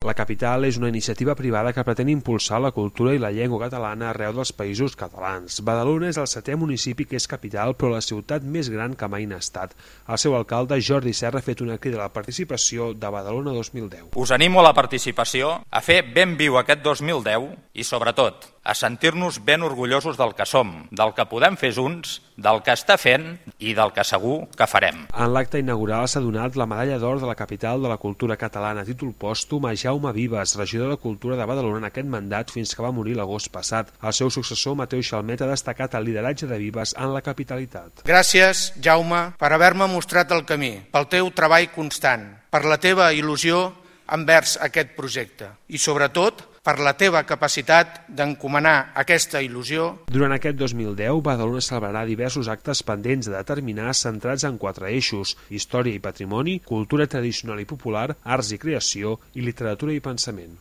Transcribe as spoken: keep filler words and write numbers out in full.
La capital és una iniciativa privada que pretén impulsar la cultura i la llengua catalana arreu dels països catalans. Badalona és el setè municipi que és capital, però la ciutat més gran que mai n'ha estat. El seu alcalde, Jordi Serra, ha fet una crida a la participació de Badalona dos mil deu. Us animo a la participació, a fer ben viu aquest dos mil deu i, sobretot, a sentir-nos ben orgullosos del que som, del que podem fer junts, del que està fent i del que segur que farem. En l'acte inaugural s'ha donat la medalla d'or de la capital de la cultura catalana a títol pòstum a Jaume Vives, regidor de Cultura de Badalona en aquest mandat fins que va morir l'agost passat. El seu successor, Mateu Xalmet, ha destacat el lideratge de Vives en la capitalitat. Gràcies, Jaume, per haver-me mostrat el camí, pel teu treball constant, per la teva il·lusió envers aquest projecte i, sobretot, per la teva capacitat d'encomanar aquesta il·lusió. Durant aquest dos mil deu, Badalona celebrarà diversos actes pendents de determinar centrats en quatre eixos: història i patrimoni, cultura tradicional i popular, arts i creació i literatura i pensament.